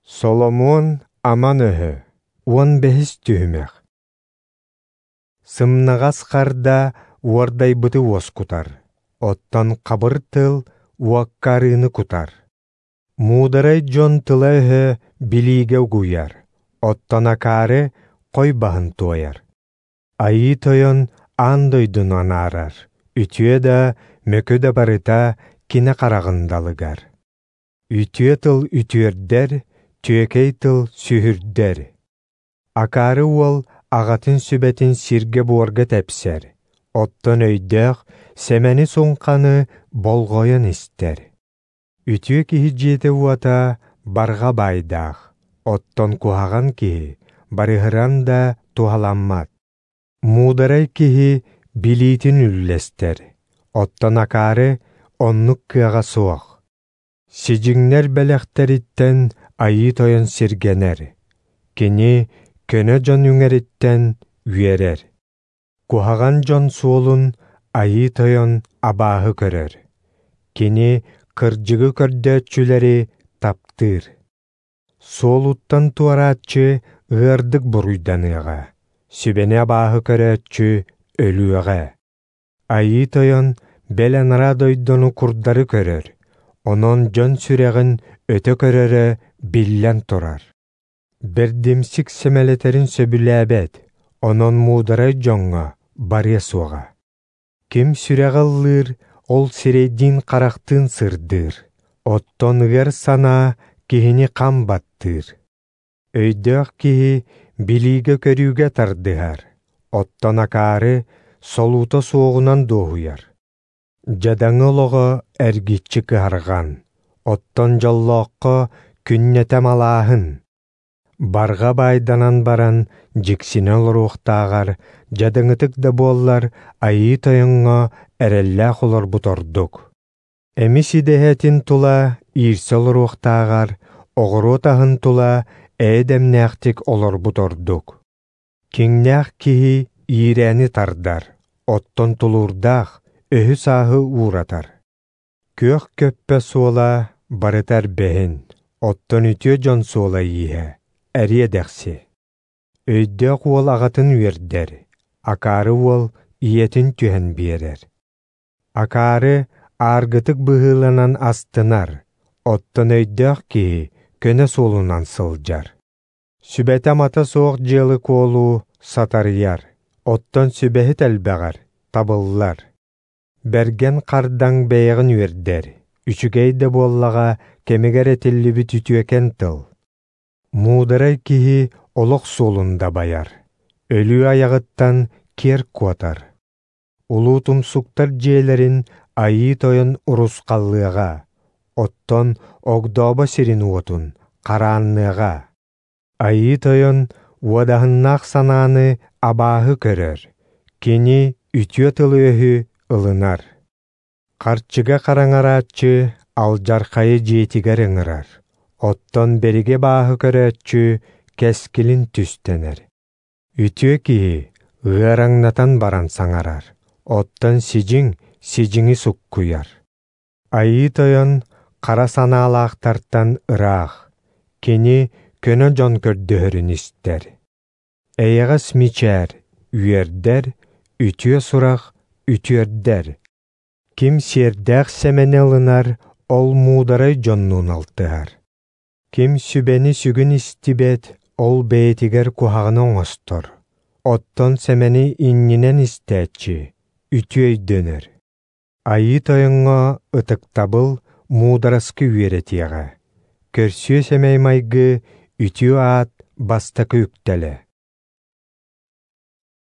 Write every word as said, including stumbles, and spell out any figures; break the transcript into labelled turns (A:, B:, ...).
A: Соломуон аман өһө, уон бэһис түһүмэх. Сымнаҕас харда уордайбыты уоскутар, оттон хабыр тыл уокка арыыны кутар. Муударай дьон тыла-өһө билиигэ угуйар, оттон акаары хой баһын туойар. Айыы Тойон аан дойдуну анаарар, үтүө да, мөкү да барыта кини хараҕын далыгар. Үтүө тыл үтүөрдэр, түөкэй тыл сүһүрдэр. Акаары уол аҕатын сүбэтин сиргэ-буорга тэпсэр, оттон өйдөөх сэмэни-суҥханы болҕойон истэр. Үтүө киһи дьиэтэ-уота барҕа баайдаах, оттон куһаҕан киһи барыһыран да туһаламмат. Муударай киһи билиитин үллэстэр, оттон акаары оннук кыаҕа суох. Сидьиҥнэр бэлэхтэриттэн Айыы Тойон сиргэнэр, кини көнө дьон үҥэриттэн үөрэр. Куһаҕан дьон суолун Айыы Тойон абааһы көрөр, кини кырдьыгы көрдөөччүлэри таптыыр. Суолуттан туорааччы ыардык буруйданыаҕа, сүбэни абааһы көрөөччү өлүөҕэ. Айыы Тойон бэл анараа дойдуну курдары көрөр, онон дьон сүрэҕин өтө көрөрө биллэн турар. Бэрдимсик сэмэлэтэрин сөбүлээбэт, онон муударай дьоҥҥо барыа суоҕа. Ким сүрэҕэ ыллыыр, ол сирэйдиин-харахтыын сырдыыр, оттон ыар санаа киһини хам баттыыр. Өйдөөх киһи билиигэ-көрүүгэ тардыһар, оттон акаары солуута суоҕунан дуоһуйар. Дьадаҥы олоҕо эргиччи кыһарҕан, оттон дьоллооххо күннэтэ малааһын. Барҕа баайданан баран дьиксинэ олоруохтааҕар, дьадаҥытык да буоллар Айыы Тойоҥҥо эрэллээх олорбут ордук. Эмис идэһэтин тула иирсэ олоруохтааҕар, оҕуруот аһын тула эйэ-дэмнээхтик олорбут ордук. Киҥнээх киһи иирээни тардар, оттон тулуурдаах өһү-сааһы ууратар. Күөх көппө суола барыта эрбэһин, оттон үтүө дьон суола ииһэ эриэ-дэхси. Өйдөөх уол аҕатын үөрдэр, акаары уол ийэтин түһэн биэрэр. Акаары ааргытык быһыыланан астынар, оттон өйдөөх киһи көнө суолунан сылдьар. Сүбэтэ-амата суох дьыалы-куолу сатарыйар, оттон сүбэһит элбэҕэр табыллар. Бэргэн хардаҥ бэйэҕин үөрдэр, үчүгэй да буоллаҕа кэмигэр этиллибит үтүөкэн тыл. Муударай киһи олох суолун дабайар, өлүү айаҕыттан киэр куотар. Улуу тумсуктар дьиэлэрин Айыы Тойон урусхаллыаҕа, оттон огдообо сирин уотун хараанныаҕа. Айыы Тойон уодаһыннаах санааны абааһы көрөр, кини үтүө тылы-өһү ылынар. Харчыга хараҥарааччы алдьархайы дьиэтигэр ыҥырар, оттон бэригэ бааһы көрөөччү кэскилин түстэнэр. Үтүө киһи ыараҥнатан баран саҥарар, оттон сидьиҥ сидьиҥи суккуйар. Айыы Тойон хара санаалаахтартан ыраах, кини көнө дьон көрдөһөрүн истэр. Эйэҕэс мичээр үөрдэр, үтүө сурах үтүөрдэр. Ким сиэрдээх сэмэни ылынар, ол муударай дьоннуун алтыһар. Ким сүбэни сүгүн истибэт, ол бэйэтигэр куһаҕаны оҥостор. Оттон сэмэни иннинэн истээччи үтүө өйдөнөр. Айыы Тойоҥҥо ытыктабыл муудараскы үөрэтиэҕэ. Көрсүө сэмэй майгы үтүө аат бастакы үктэлэ.